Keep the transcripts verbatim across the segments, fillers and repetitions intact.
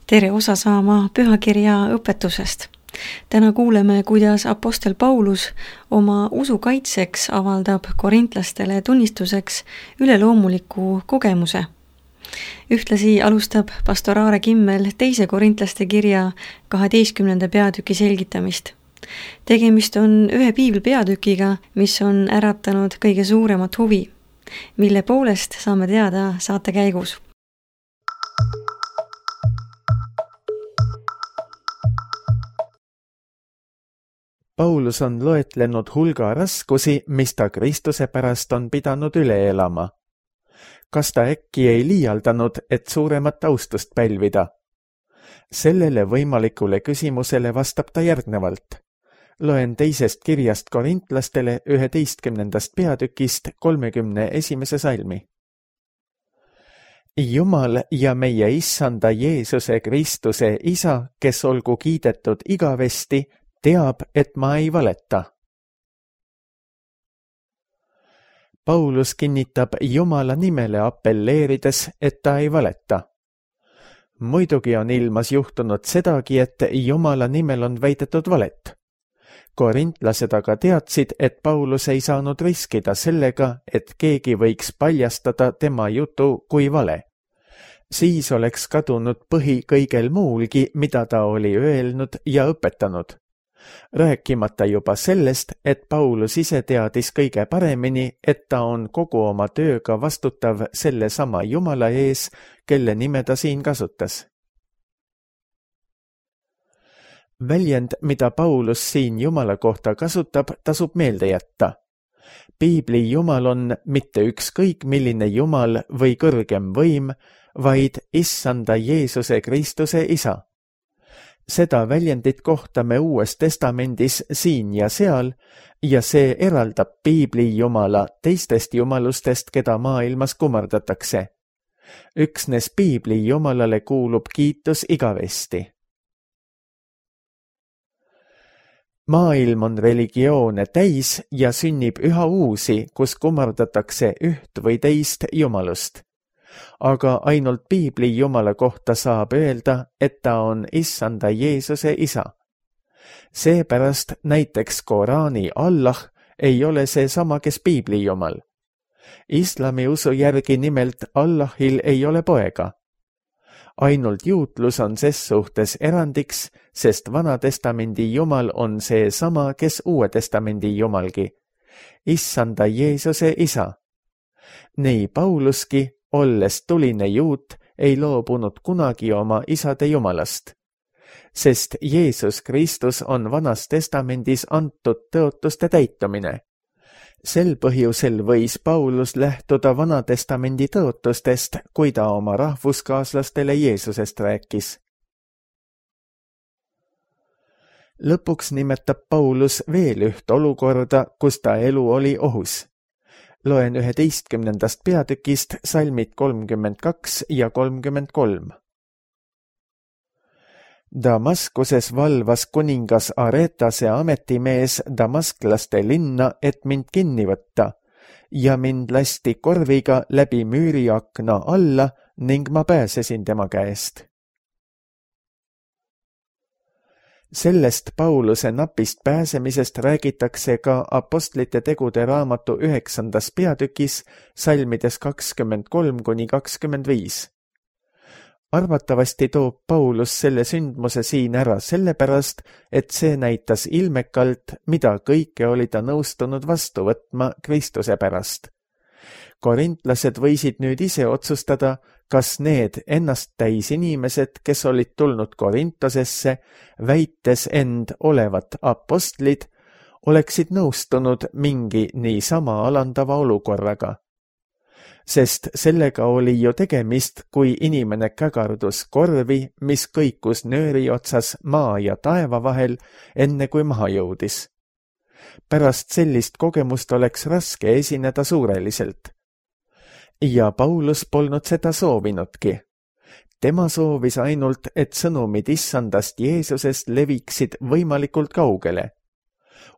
Tere osa saama pühakirja õpetusest. Täna kuuleme, kuidas apostel Paulus oma usu kaitseks avaldab korintlastele tunnistuseks üleloomuliku kogemuse. Ühtlasi alustab pastor Aare Kimmel teise korintlaste kirja kaheteistkümnenda peatüki selgitamist. Tegemist on ühe piibli peatükiga, mis on äratanud kõige suuremat huvi, mille poolest saame teada saate käigus. Paulus on loetlenud hulga raskusi, mis ta Kristuse pärast on pidanud üle elama. Kas ta äkki ei liialdanud, et suuremat austust pälvida? Sellele võimalikule küsimusele vastab ta järgnevalt. Loen teisest kirjast korintlastele üheteistkümnendast peatükist kolmekümne esimese salmi. Jumal ja meie issanda Jeesuse Kristuse isa, kes olgu kiidetud igavesti, teab, et ma ei valeta. Paulus kinnitab Jumala nimele appelleerides, et ta ei valeta. Muidugi on ilmas juhtunud sedagi, et Jumala nimel on väidetud valet. Korintlased aga teadsid, et Paulus ei saanud riskida sellega, et keegi võiks paljastada tema jutu kui vale. Siis oleks kadunud põhi kõigel muulgi, mida ta oli öelnud ja õpetanud. Rääkimata juba sellest, et Paulus ise teadis kõige paremini, et ta on kogu oma tööga vastutav selle sama Jumala ees, kelle nime ta siin kasutas. Väljend, mida Paulus siin Jumala kohta kasutab, tasub meelde jätta. Piibli Jumal on mitte ükskõik milline Jumal või kõrgem võim, vaid issanda Jeesuse Kristuse isa. Seda väljendit kohtame Uues Testamendis siin ja seal ja see eraldab Piibli Jumala teistest jumalustest, keda maailmas kummardatakse. Üksnes Piibli Jumalale kuulub kiitus igavesti. Maailm on religioone täis ja sünnib üha uusi, kus kummardatakse üht või teist jumalust. Aga ainult Piibli Jumala kohta saab öelda, et ta on issanda Jeesuse isa. Seepärast näiteks Koraani Allah ei ole see sama, kes Piibli Jumal. Islami usu järgi nimelt Allahil ei ole poega. Ainult juutlus on ses suhtes erandiks, sest Vana Testamendi Jumal on see sama, kes Uue Testamendi Jumalgi. Issanda Jeesuse isa. Nii Pauluski, olles tuline juut, ei loobunud kunagi oma isade Jumalast. Sest Jeesus Kristus on Vanas Testamendis antud tõotuste täitumine. Sel põhjusel võis Paulus lähtuda Vana Testamendi tõotustest, kui ta oma rahvuskaaslastele Jeesusest rääkis. Lõpuks nimetab Paulus veel üht olukorda, kus ta elu oli ohus. Loen üheteistkümnendast peatükist salmid kolmkümmend kaks ja kolmkümmend kolm. Damaskuses valvas kuningas Aretase ametimees damasklaste linna, et mind kinni võtta, ja mind lasti korviga läbi müüriakna alla ning ma pääsesin tema käest. Sellest Pauluse napist pääsemisest räägitakse ka apostlite tegude raamatu üheksandas peatükis salmides kakskümmend kolm kuni kakskümmend viis. Arvatavasti toob Paulus selle sündmuse siin ära sellepärast, et see näitas ilmekalt, mida kõike oli ta nõustunud vastu võtma Kristuse pärast. Korintlased võisid nüüd ise otsustada, kas need ennast täis inimesed, kes olid tulnud Korintosesse, väites end olevat apostlid, oleksid nõustunud mingi niisama alandava olukorraga. Sest sellega oli ju tegemist, kui inimene kägardus korvi, mis kõikus nööri otsas maa ja taeva vahel, enne kui maha jõudis. Pärast sellist kogemust oleks raske esineda suureliselt. Ja Paulus polnud seda soovinudki. Tema soovis ainult, et sõnumid issandast Jeesusest leviksid võimalikult kaugele.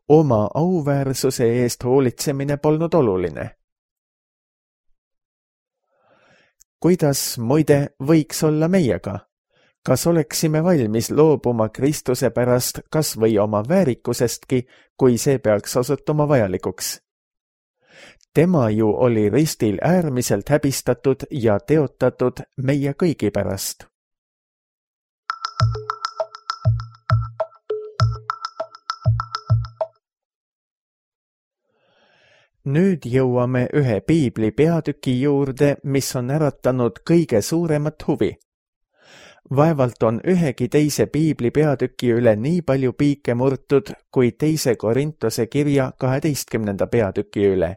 Oma auväärsuse eest hoolitsemine polnud oluline. Kuidas muide võiks olla meiega? kas oleksime valmis loobuma Kristuse pärast kas või oma väärikusestki, kui see peaks osutuma vajalikuks? Tema ju oli ristil äärmiselt häbistatud ja teotatud meie kõigi pärast. Nüüd jõuame ühe piibli peatüki juurde, mis on äratanud kõige suuremat huvi. Vaevalt on ühegi teise piibli peatüki üle nii palju piike murtud kui teise Korintuse kirja kaheteistkümnenda peatüki üle.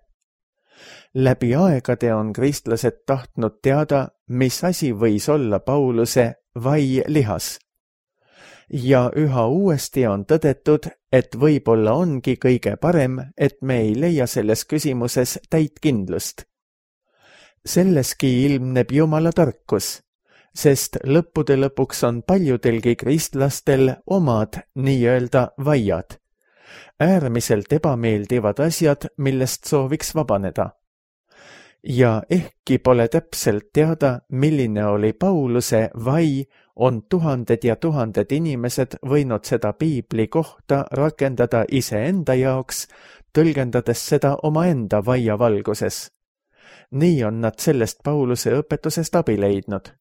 Läbi aegade on kristlased tahtnud teada, mis asi võis olla Pauluse vai lihas. Ja üha uuesti on tõdetud, et võib-olla ongi kõige parem, et me ei leia selles küsimuses täit kindlust. Selleski ilmneb Jumala tarkus, sest lõppude lõpuks on paljudelgi kristlastel omad nii-öelda vaiad, äärmiselt ebameeldivad asjad, millest sooviks vabaneda. Ja ehkki pole täpselt teada, milline oli Pauluse vai, on tuhanded ja tuhanded inimesed võinud seda piibli kohta rakendada iseenda jaoks, tõlgendades seda omaenda vaia valguses. Nii on nad sellest Pauluse õpetusest abi leidnud.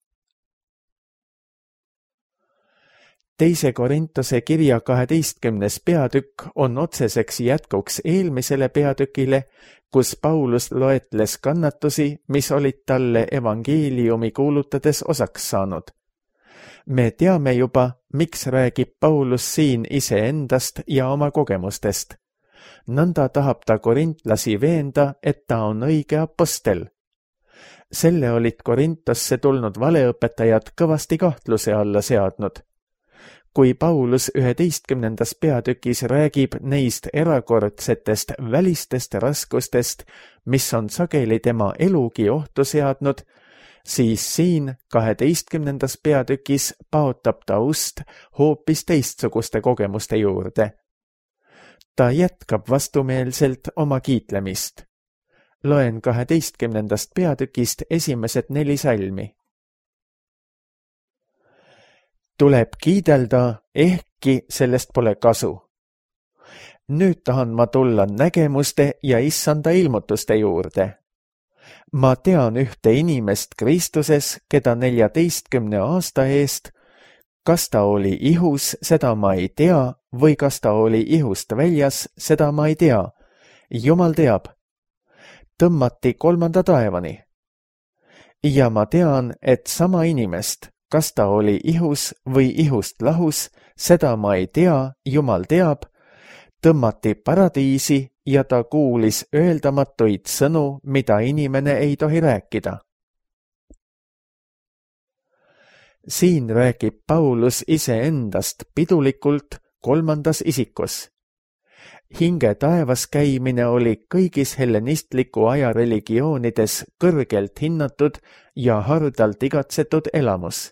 Teise Korintuse kirja kaheteistkümnes peatükk on otseseks jätkuks eelmisele peatükile, kus Paulus loetles kannatusi, mis olid talle evangeeliumi kuulutades osaks saanud. Me teame juba, miks räägib Paulus siin iseendast ja oma kogemustest. Nõnda tahab ta korintlasi veenda, et ta on õige apostel. Selle olid Korintosse tulnud valeõpetajad kõvasti kahtluse alla seadnud. Kui Paulus üheteistkümnendas peatükis räägib neist erakordsetest välistest raskustest, mis on sageli tema elugi ohtu seadnud, siis siin kaheteistkümnendas peatükis paotab ta ust hoopis teistsuguste kogemuste juurde. Ta jätkab vastumeelselt oma kiitlemist. Loen kaheteistkümnendast peatükist esimesed neli salmi. Tuleb kiidelda, ehkki sellest pole kasu. Nüüd tahan ma tulla nägemuste ja issanda ilmutuste juurde. Ma tean ühte inimest Kristuses, keda neljateistkümne aasta eest, kas ta oli ihus, seda ma ei tea, või kas ta oli ihust väljas, seda ma ei tea. Jumal teab. Tõmmati kolmanda taevani. Ja ma tean, et sama inimest, kas ta oli ihus või ihust lahus, seda ma ei tea, Jumal teab, tõmmati paradiisi ja ta kuulis öeldamatuid sõnu, mida inimene ei tohi rääkida. Siin räägib Paulus iseendast pidulikult kolmandas isikus. Hinge taevas käimine oli kõigis hellenistliku aja religioonides kõrgelt hinnatud ja hardalt igatsetud elamus.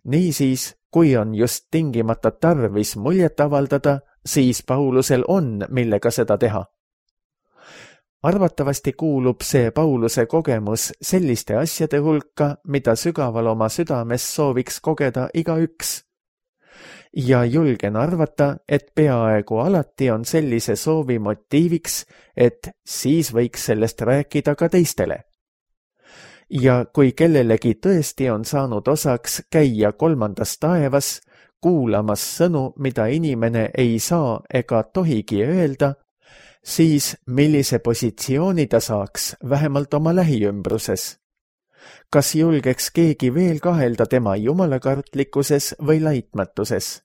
Niisiis, kui on just tingimata tarvis muljet avaldada, siis Paulusel on, millega seda teha. Arvatavasti kuulub see Pauluse kogemus selliste asjade hulka, mida sügaval oma südames sooviks kogeda igaüks. Ja julgen arvata, et peaaegu alati on sellise soovi motiiviks, et siis võiks sellest rääkida ka teistele. Ja kui kellelegi tõesti on saanud osaks käia kolmandas taevas, kuulamas sõnu, mida inimene ei saa ega tohigi öelda, siis millise positsiooni ta saaks vähemalt oma lähiümbruses? Kas julgeks keegi veel kahelda tema jumalakartlikkuses või laitmatuses?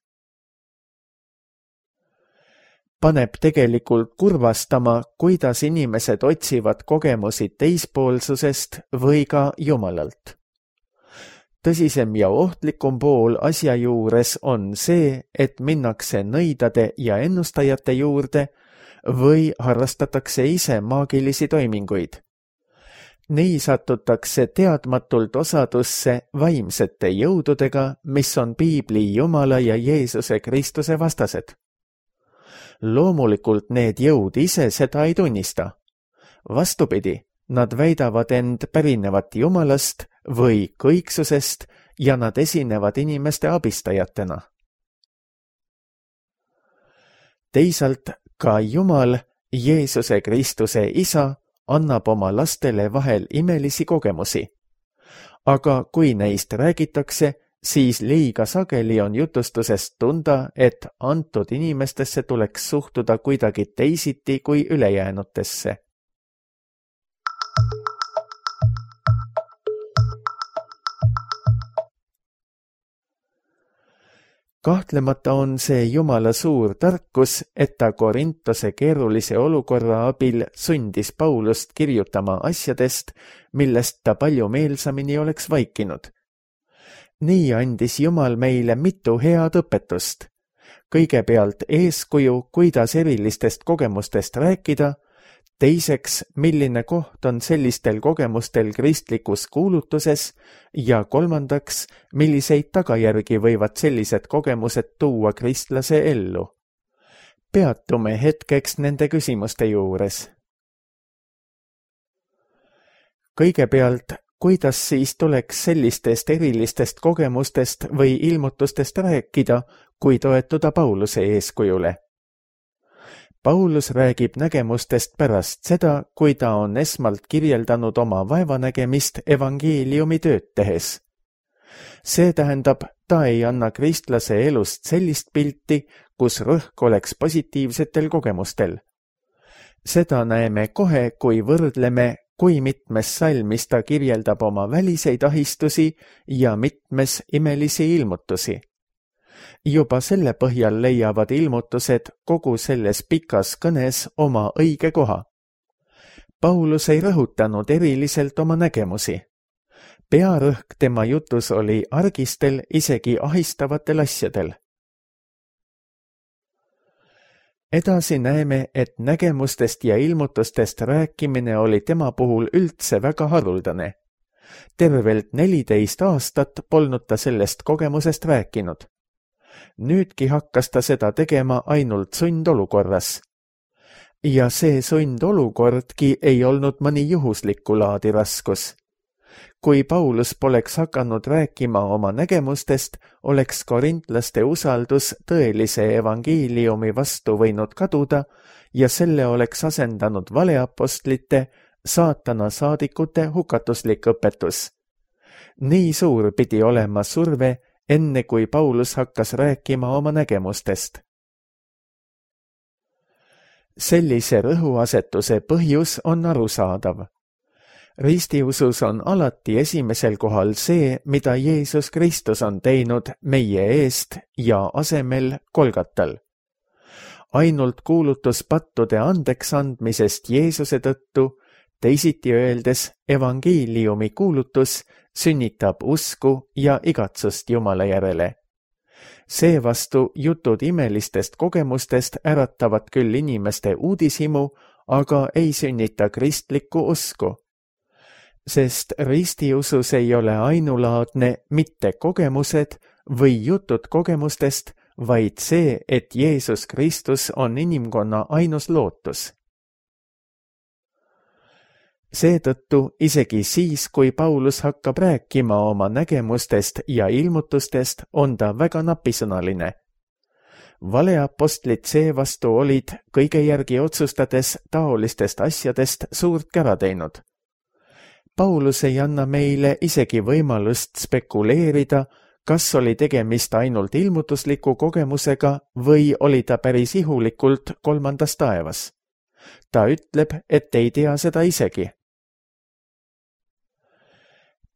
Paneb tegelikult kurvastama, kuidas inimesed otsivad kogemusi teispoolsusest või ka Jumalalt. Tõsisem ja ohtlikum pool asja juures on see, et minnakse nõidade ja ennustajate juurde või harrastatakse ise maagilisi toiminguid. Nii satutakse teadmatult osadusse vaimsete jõududega, mis on piibli Jumala ja Jeesuse Kristuse vastased. Loomulikult need jõud ise seda ei tunnista. Vastupidi, nad väidavad end pärinevat Jumalast või kõiksusest ja nad esinevad inimeste abistajatena. Teisalt ka Jumal, Jeesuse Kristuse isa, annab oma lastele vahel imelisi kogemusi. Aga kui neist räägitakse, siis liiga sageli on jutustusest tunda, et antud inimestesse tuleks suhtuda kuidagi teisiti kui ülejäänutesse. Kahtlemata on see Jumala suur tarkus, et ta Korintose keerulise olukorra abil sundis Paulust kirjutama asjadest, millest ta palju meelsamini oleks vaikinud. Nii andis Jumal meile mitu head õpetust. Kõigepealt eeskuju, kuidas erilistest kogemustest rääkida, teiseks, milline koht on sellistel kogemustel kristlikus kuulutuses ja kolmandaks, milliseid tagajärgi võivad sellised kogemused tuua kristlase ellu. Peatume hetkeks nende küsimuste juures. Kõigepealt, kuidas siis tuleks sellistest erilistest kogemustest või ilmutustest rääkida, kui toetuda Pauluse eeskujule? Paulus räägib nägemustest pärast seda, kui ta on esmalt kirjeldanud oma vaevanägemist evangeeliumi tööd tehes. See tähendab, ta ei anna kristlase elust sellist pilti, kus rõhk oleks positiivsetel kogemustel. Seda näeme kohe, kui võrdleme, kui mitmes salmis ta kirjeldab oma väliseid ahistusi ja mitmes imelisi ilmutusi. Juba selle põhjal leiavad ilmutused kogu selles pikas kõnes oma õige koha. Paulus ei rõhutanud eriliselt oma nägemusi. Pearõhk tema jutus oli argistel, isegi ahistavatel asjadel. Edasi näeme, et nägemustest ja ilmutustest rääkimine oli tema puhul üldse väga haruldane. Tervelt neliteist aastat polnud ta sellest kogemusest rääkinud. Nüüdki hakkas ta seda tegema ainult sundolukorras. Ja see sundolukordki ei olnud mõni juhuslikku laadi raskus. Kui Paulus poleks hakanud rääkima oma nägemustest, oleks korintlaste usaldus tõelise evangeeliumi vastu võinud kaduda ja selle oleks asendanud valeapostlite, saatana saadikute hukatuslik õpetus. Nii suur pidi olema surve, enne kui Paulus hakkas rääkima oma nägemustest. Sellise rõhuasetuse põhjus on arusaadav. Ristiusus on alati esimesel kohal see, mida Jeesus Kristus on teinud meie eest ja asemel Kolgatal. Ainult kuulutus pattude andeks andmisest Jeesuse tõttu, teisiti öeldes evangeeliumi kuulutus, sünnitab usku ja igatsust Jumala järele. Seevastu jutud imelistest kogemustest äratavad küll inimeste uudishimu, aga ei sünnita kristlikku usku. Sest ristiusus ei ole ainulaadne mitte kogemused või jutud kogemustest, vaid see, et Jeesus Kristus on inimkonna ainus lootus. Seetõttu isegi siis, kui Paulus hakkab rääkima oma nägemustest ja ilmutustest, on ta väga napisõnaline. Valeapostlid seevastu olid kõige järgi otsustades taolistest asjadest suurt kära teinud. Paulus ei anna meile isegi võimalust spekuleerida, kas oli tegemist ainult ilmutusliku kogemusega või oli ta päris ihulikult kolmandas taevas. Ta ütleb, et ei tea seda isegi.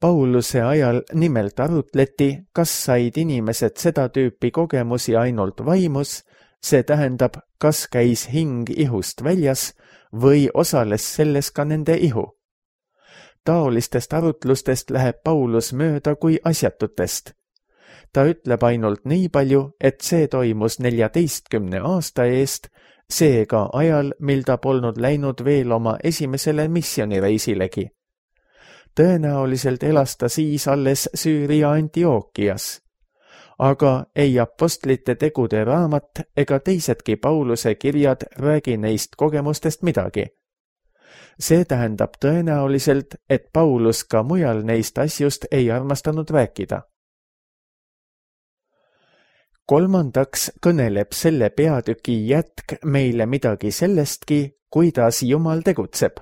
Pauluse ajal nimelt arutleti, kas said inimesed seda tüüpi kogemusi ainult vaimus, see tähendab, kas käis hing ihust väljas või osales selles ka nende ihu. Taolistest arutlustest läheb Paulus mööda kui asjatutest. Ta ütleb ainult nii palju, et see toimus neljateistkümne aasta eest, seega ajal, mil ta polnud läinud veel oma esimesele missioonireisilegi. Tõenäoliselt elas ta siis alles Süüria Antiookias. Aga ei apostlite tegude raamat ega teisedki Pauluse kirjad räägi neist kogemustest midagi. See tähendab tõenäoliselt, et Paulus ka mujal neist asjust ei armastanud rääkida. kolmandaks kõneleb selle peatüki jätk meile midagi sellestki, kuidas Jumal tegutseb.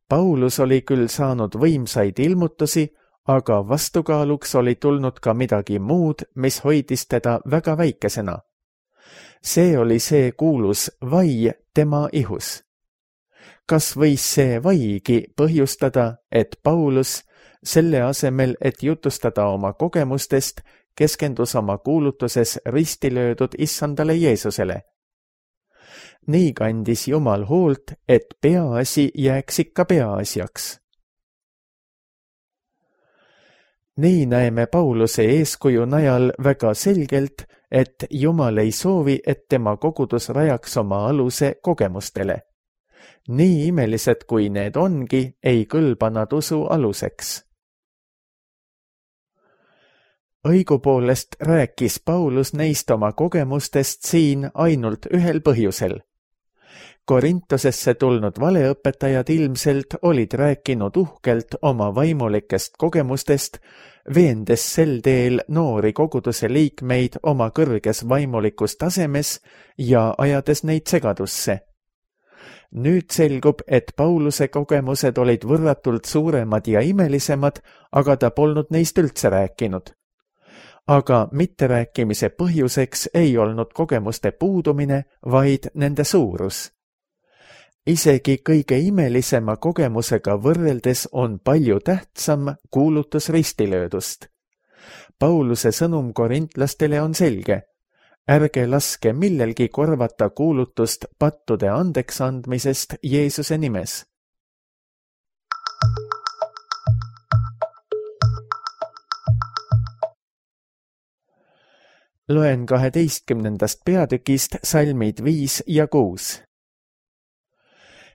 Paulus oli küll saanud võimsaid ilmutusi, aga vastukaaluks oli tulnud ka midagi muud, mis hoidis teda väga väikesena. See oli see kuulus vai tema ihus. Kas võis see vaigi põhjustada, et Paulus, selle asemel, et jutustada oma kogemustest, keskendus oma kuulutuses ristilöödud issandale Jeesusele? Nii kandis Jumal hoolt, et peaasi jääks ikka peaasjaks. Nii näeme Pauluse eeskuju najal väga selgelt, et Jumal ei soovi, et tema kogudus rajaks oma aluse kogemustele. Nii imelised kui need ongi, ei kõlba nad usu aluseks. Õigupoolest rääkis Paulus neist oma kogemustest siin ainult ühel põhjusel. Korintosesse tulnud valeõpetajad ilmselt olid rääkinud uhkelt oma vaimulikest kogemustest, veendes sel teel noori koguduse liikmeid oma kõrges vaimulikus tasemes ja ajades neid segadusse. Nüüd selgub, et Pauluse kogemused olid võrratult suuremad ja imelisemad, aga ta polnud neist üldse rääkinud. Aga mitterääkimise põhjuseks ei olnud kogemuste puudumine, vaid nende suurus. Isegi kõige imelisema kogemusega võrreldes on palju tähtsam kuulutus ristilöödust. Pauluse sõnum korintlastele on selge. Ärge laske millelgi korvata kuulutust pattude andeks andmisest Jeesuse nimes. Loen kaheteistkümnendast peatükist salmid viis ja kuus.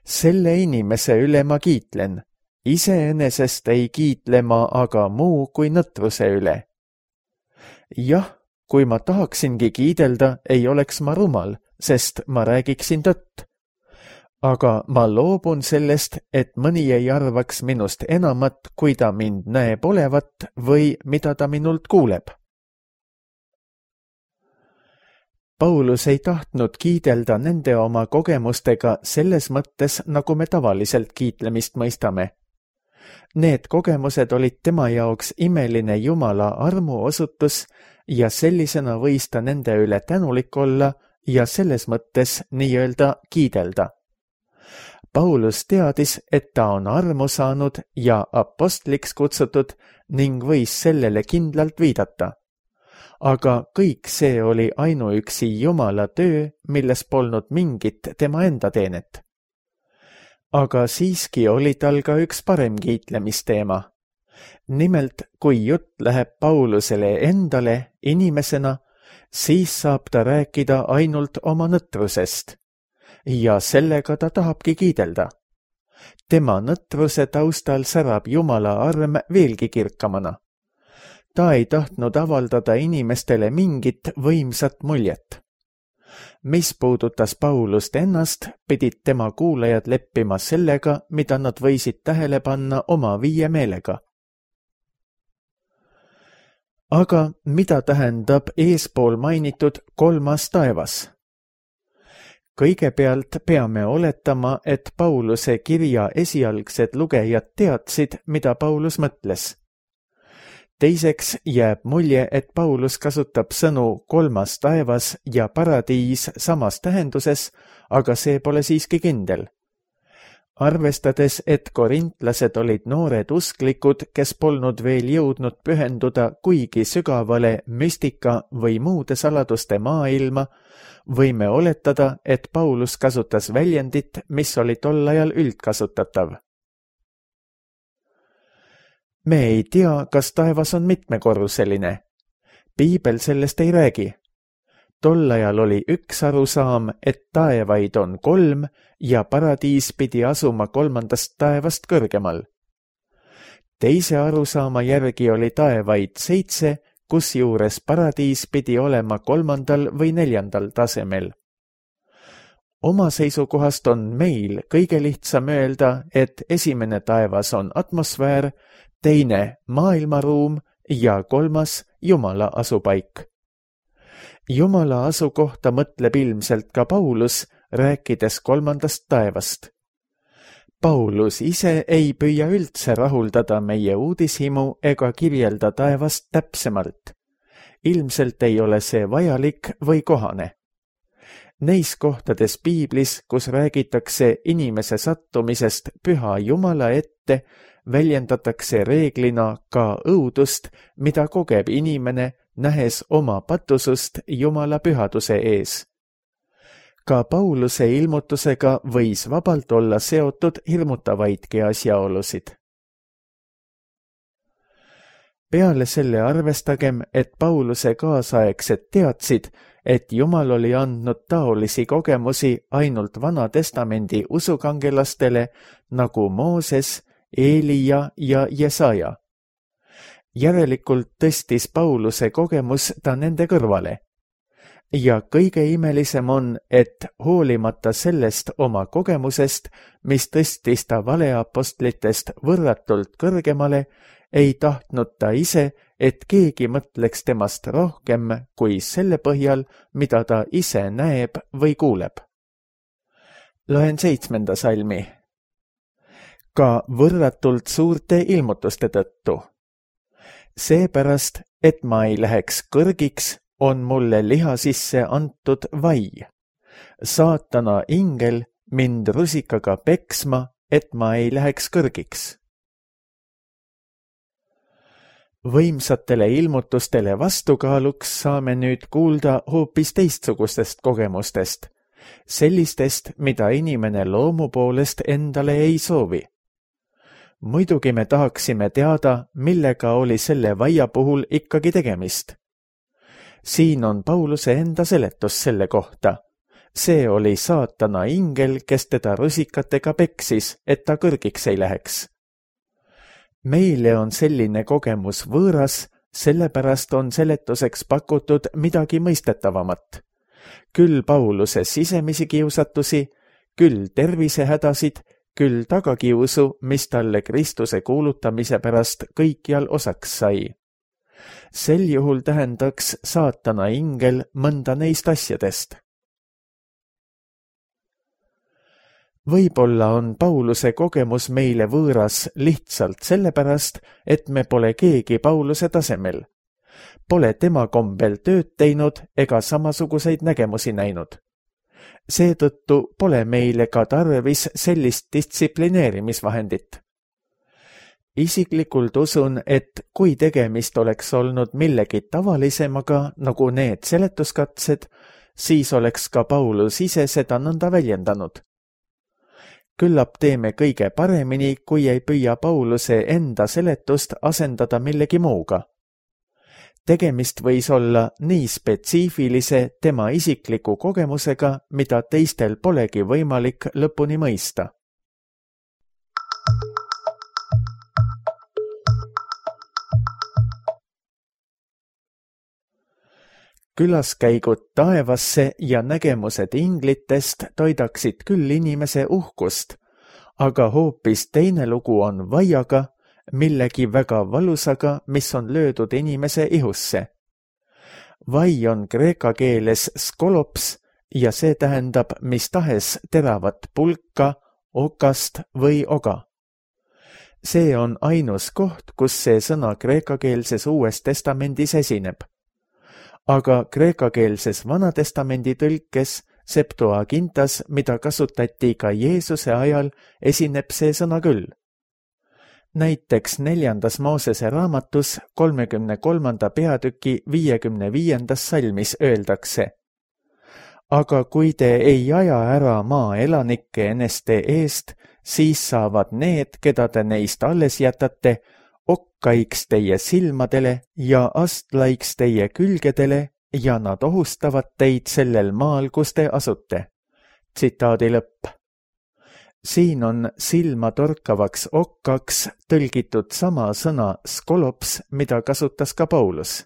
Selle inimese üle ma kiitlen, iseenesest ei kiitle ma aga muu kui nõtruse üle. Jah, kui ma tahaksingi kiidelda, ei oleks ma rumal, sest ma räägiksin tõtt. Aga ma loobun sellest, et mõni ei arvaks minust enamat, kui ta mind näeb olevat või mida ta minult kuuleb. Paulus ei tahtnud kiidelda nende oma kogemustega selles mõttes, nagu me tavaliselt kiitlemist mõistame. Need kogemused olid tema jaoks imeline Jumala armuosutus ja sellisena võis ta nende üle tänulik olla ja selles mõttes nii-öelda kiidelda. Paulus teadis, et ta on armu saanud ja apostliks kutsutud ning võis sellele kindlalt viidata. Aga kõik see oli ainuüksi Jumala töö, milles polnud mingit tema enda teenet. Aga siiski oli tal ka üks parem kiitlemisteema. Nimelt, kui jutt läheb Paulusele endale inimesena, siis saab ta rääkida ainult oma nõtrusest. Ja sellega ta tahabki kiidelda. Tema nõtruse taustal särab Jumala arm veelgi kirkamana. Ta ei tahtnud avaldada inimestele mingit võimsat muljet. Mis puudutas Paulust ennast, pidid tema kuulajad leppima sellega, mida nad võisid tähele panna oma viie meelega. Aga mida tähendab eespool mainitud kolmas taevas? Kõigepealt peame oletama, et Pauluse kirja esialgsed lugejad teadsid, mida Paulus mõtles. Teiseks jääb mulje, et Paulus kasutab sõnu kolmas taevas ja paradiis samas tähenduses, aga see pole siiski kindel. Arvestades, et korintlased olid noored usklikud, kes polnud veel jõudnud pühenduda kuigi sügavale müstika või muude saladuste maailma, võime oletada, et Paulus kasutas väljendit, mis oli tol ajal üldkasutatav. Me ei tea, kas taevas on mitmekorruseline. Piibel sellest ei räägi. Tol ajal oli üks arusaam, et taevaid on kolm ja paradiis pidi asuma kolmandast taevast kõrgemal. Teise arusaama järgi oli taevaid seitse, kusjuures paradiis pidi olema kolmandal või neljandal tasemel. Oma seisukohast on meil kõige lihtsam öelda, et esimene taevas on atmosfäär, teine maailmaruum ja kolmas Jumala asupaik. Jumala asukohta mõtleb ilmselt ka Paulus, rääkides kolmandast taevast. Paulus ise ei püüa üldse rahuldada meie uudishimu ega kirjelda taevast täpsemalt. Ilmselt ei ole see vajalik või kohane. Neis kohtades piiblis, kus räägitakse inimese sattumisest püha Jumala ette, väljendatakse reeglina ka õudust, mida kogeb inimene, nähes oma patusust Jumala pühaduse ees. Ka Pauluse ilmutusega võis vabalt olla seotud hirmutavaidki asjaolusid. Peale selle arvestagem, et Pauluse kaasaegsed teadsid, et Jumal oli andnud taolisi kogemusi ainult Vana Testamendi usukangelastele nagu Mooses, Eelia ja Jesaja. Järelikult tõstis Pauluse kogemus ta nende kõrvale. Ja kõige imelisem on, et hoolimata sellest oma kogemusest, mis tõstis ta valeapostlitest võrratult kõrgemale, ei tahtnud ta ise, et keegi mõtleks temast rohkem kui selle põhjal, mida ta ise näeb või kuuleb. Loen seitsmenda salmi. Ka võrratult suurte ilmutuste tõttu. Seepärast, et ma ei läheks kõrgiks, on mulle liha sisse antud vai. Saatana ingel mind rusikaga peksma, et ma ei läheks kõrgiks. Võimsatele ilmutustele vastukaaluks saame nüüd kuulda hoopis teistsugustest kogemustest, sellistest, mida inimene loomu poolest endale ei soovi. Muidugi me tahaksime teada, millega oli selle vaia puhul ikkagi tegemist. Siin on Pauluse enda seletus selle kohta. See oli saatana ingel, kes teda rusikatega peksis, et ta kõrgiks ei läheks. Meile on selline kogemus võõras, sellepärast on seletuseks pakutud midagi mõistetavamat. Küll Pauluse sisemisi kiusatusi, küll tervisehädasid, küll tagakiusu, mis talle Kristuse kuulutamise pärast kõikjal osaks sai. Sel juhul tähendaks saatana ingel mõnda neist asjadest. Võib-olla on Pauluse kogemus meile võõras lihtsalt sellepärast, et me pole keegi Pauluse tasemel. Pole tema kombel tööd teinud ega samasuguseid nägemusi näinud. Seetõttu pole meile ka tarvis sellist distsiplineerimisvahendit. Isiklikult usun, et kui tegemist oleks olnud millegi tavalisemaga, nagu need seletuskatsed, siis oleks ka Paulus ise seda nõnda väljendanud. Küllap teeme kõige paremini, kui ei püüa Pauluse enda seletust asendada millegi muuga. Tegemist võis olla nii spetsiifilise tema isikliku kogemusega, mida teistel polegi võimalik lõpuni mõista. Külaskäigud taevasse ja nägemused inglitest toidaksid küll inimese uhkust, aga hoopis teine lugu on vaiaga, millegi väga valusaga, mis on löödud inimese ihusse. Vai on kreeka keeles skolops ja see tähendab mis tahes teravat pulka, okast või oga. See on ainus koht, kus see sõna kreekakeelses Uues Testamendis esineb. Aga kreekakeelses Vanatestamendi tõlkes Septuagintas, mida kasutati ka Jeesuse ajal, esineb see sõna küll. Näiteks neljandas Moosese raamatus kolmekümne kolmanda peatüki viiekümne viiendas salmis öeldakse: Aga kui te ei aja ära maa elanikke eneste eest, siis saavad need, keda te neist alles jätate, okkaiks teie silmadele ja astlaiks teie külgedele ja nad ohustavad teid sellel maal, kus te asute. Tsitaadi lõpp. Siin on silma torkavaks okkaks tõlgitud sama sõna skolops, mida kasutas ka Paulus.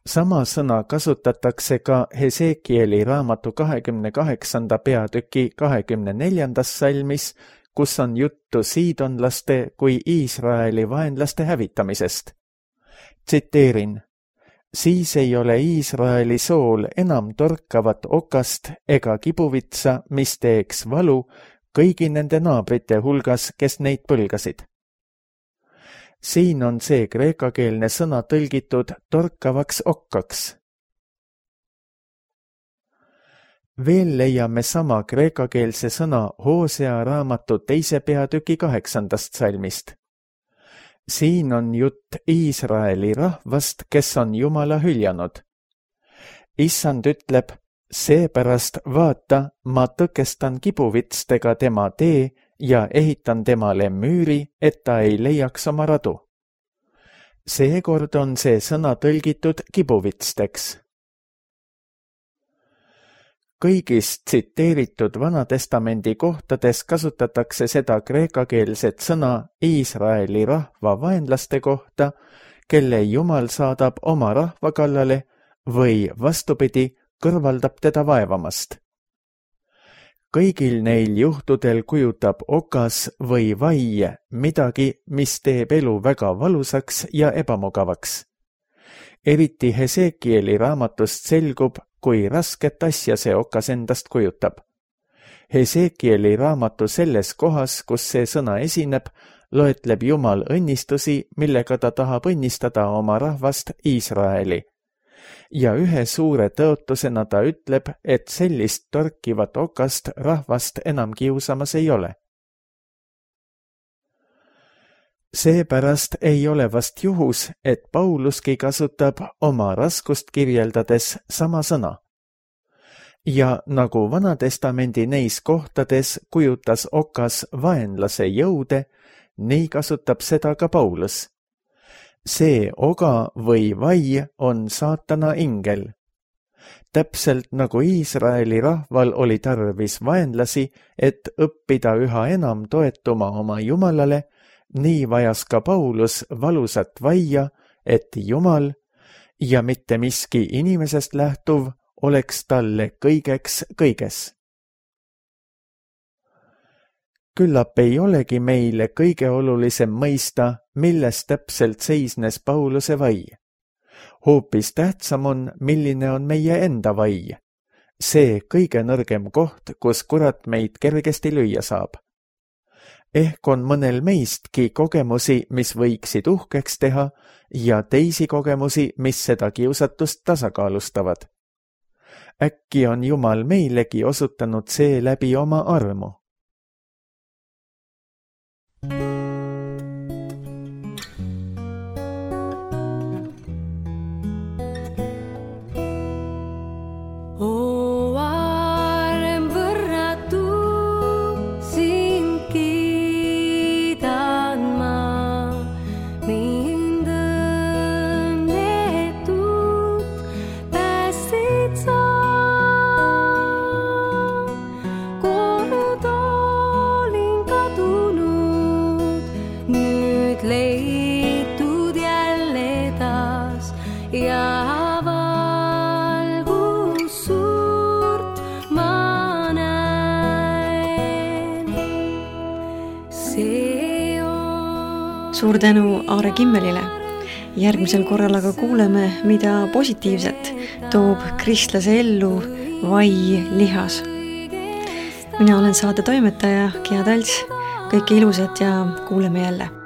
Sama sõna kasutatakse ka Hesekieli raamatu kahekümne kaheksanda peatüki kahekümne neljandas salmis, kus on juttu siidonlaste kui Iisraeli vaenlaste hävitamisest. Tsiteerin: siis ei ole Iisraeli sool enam torkavat okast ega kibuvitsa, mis teeks valu kõigi nende naabrite hulgas, kes neid põlgasid. Siin on see kreekakeelne sõna tõlgitud torkavaks okkaks. Veel leiame sama kreekakeelse sõna Hoosea raamatu teise peatüki kaheksandast salmist. Siin on jutt Iisraeli rahvast, kes on Jumala hüljanud. Issand ütleb, seepärast vaata, ma tõkestan kibuvitstega tema tee ja ehitan temale müüri, et ta ei leiaks oma radu. Seekord on see sõna tõlgitud kibuvitsteks. Kõigis tsiteeritud Vanatestamendi kohtades kasutatakse seda kreekakeelset sõna Iisraeli rahva vaenlaste kohta, kelle Jumal saadab oma rahva kallale või vastupidi, kõrvaldab teda vaevamast. Kõigil neil juhtudel kujutab okas või vai midagi, mis teeb elu väga valusaks ja ebamugavaks. Eriti Hesekieli raamatust selgub, kui rasket asja see okas endast kujutab. Hesekieli raamatu selles kohas, kus see sõna esineb, loetleb Jumal õnnistusi, millega ta tahab õnnistada oma rahvast Iisraeli. Ja ühe suure tõotusena ta ütleb, et sellist torkivat okast rahvast enam kiusamas ei ole. Seepärast ei ole vast juhus, et Pauluski kasutab oma raskust kirjeldades sama sõna. Ja nagu Vanatestamendi neis kohtades kujutas okas vaenlase jõude, nii kasutab seda ka Paulus. See oga või vai on saatana ingel. Täpselt nagu Iisraeli rahval oli tarvis vaenlasi, et õppida üha enam toetuma oma Jumalale, nii vajas ka Paulus valusat vaia, et Jumal ja mitte miski inimesest lähtuv oleks talle kõigeks kõiges. Küllap ei olegi meile kõige olulisem mõista, milles täpselt seisnes Pauluse vai. Hoopis tähtsam on, milline on meie enda vai. See kõige nõrgem koht, kus kurat meid kergesti lüüa saab. Ehk on mõnel meistki kogemusi, mis võiksid uhkeks teha, ja teisi kogemusi, mis seda kiusatust tasakaalustavad. Äkki on Jumal meilegi osutanud see läbi oma armu. Leitud jälle taas ja valgus suurt ma näen. See on... Suur tänu Aare Kimmelile. Järgmisel korral aga kuuleme, mida positiivset toob kristlase ellu vai lihas. Mina olen saate toimetaja Gea Talts. Kõike ilusat ja kuuleme jälle.